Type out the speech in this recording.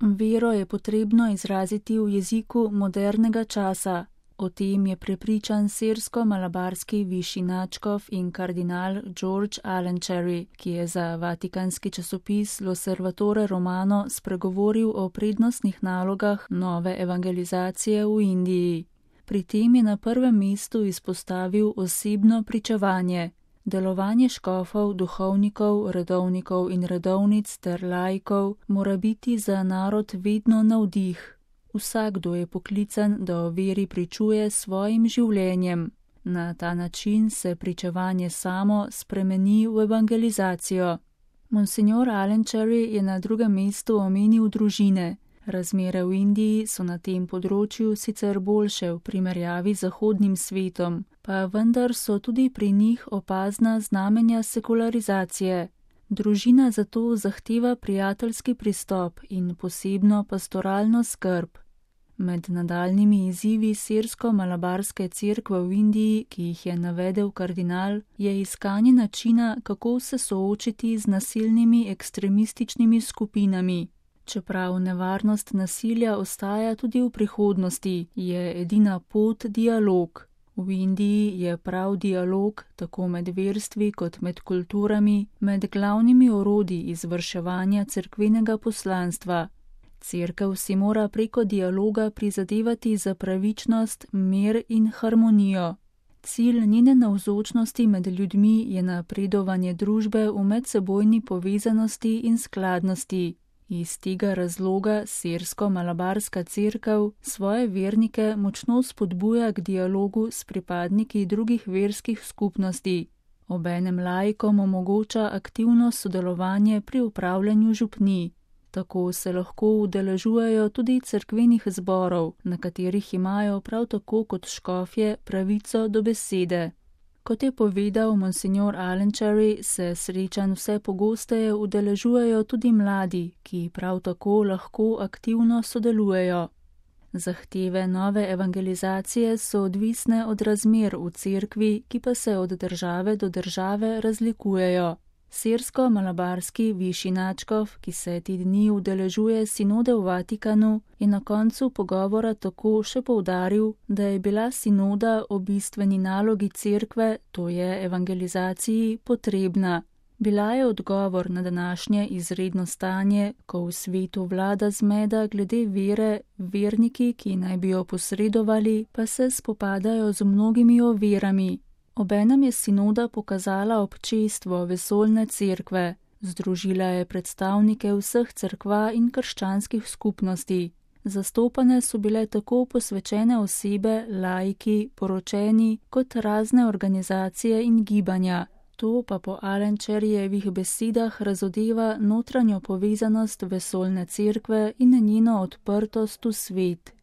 Vero je potrebno izraziti v jeziku modernega časa. O tem je prepričan sirsko-malabarski višji nadškof in kardinal George Alancherry, ki je za vatikanski časopis L'Osservatore Romano spregovoril o prednostnih nalogah nove evangelizacije v Indiji. Pri tem je na prvem mestu izpostavil osebno pričevanje. Delovanje škofov, duhovnikov, redovnikov in redovnic ter laikov mora biti za narod vedno navdih. Vsakdo je poklican, da o veri pričuje s svojim življenjem. Na ta način se pričevanje samo spremeni v evangelizacijo. Monsignor Alancherry je na drugem mestu omenil družine. Razmere v Indiji so na tem področju sicer boljše v primerjavi z zahodnim svetom, pa vendar so tudi pri njih opazna znamenja sekularizacije. Družina zato zahteva prijateljski pristop in posebno pastoralno skrb. Med nadaljnjimi izzivi sirsko-malabarske cerkve v Indiji, ki jih je navedel kardinal, je iskanje načina, kako se soočiti z nasilnimi ekstremističnimi skupinami. Čeprav nevarnost nasilja ostaja tudi v prihodnosti, je edina pot dialog. V Indiji je prav dialog, tako med verstvi kot med kulturami, med glavnimi orodji izvrševanja cerkvenega poslanstva. Cerkev si mora preko dialoga prizadevati za pravičnost, mir in harmonijo. Cilj njene navzočnosti med ljudmi je napredovanje družbe v medsebojni povezanosti in skladnosti. Iz tega razloga sirsko-malabarska cerkev svoje vernike močno spodbuja k dialogu s pripadniki drugih verskih skupnosti. Obenem laikom omogoča aktivno sodelovanje pri upravljanju župnij. Tako se lahko udeležujejo tudi cerkvenih zborov, na katerih imajo prav tako kot škofje pravico do besede. Kot je povedal monsignor Alancherry, se srečanj vse pogosteje udeležujejo tudi mladi, ki prav tako lahko aktivno sodelujejo. Zahteve nove evangelizacije so odvisne od razmer v cerkvi, ki pa se od države do države razlikujejo. Sirsko-malabarski višji nadškof, ki se te dni udeležuje sinode v Vatikanu, je na koncu pogovora tako še poudaril, da je bila sinoda o bistveni nalogi cerkve, to je evangelizaciji, potrebna. Bila je odgovor na današnje izredno stanje, ko v svetu vlada zmeda glede vere, verniki, ki naj bi jo posredovali, pa se spopadajo z mnogimi ovirami. Obenem je sinoda pokazala občestvo vesoljne cerkve, združila je predstavnike vseh cerkva in krščanskih skupnosti. Zastopane so bile tako posvečene osebe, laiki, poročeni, kot razne organizacije in gibanja. To pa po Alancherryjevih besedah razodeva notranjo povezanost vesoljne cerkve in njeno odprtost v svet.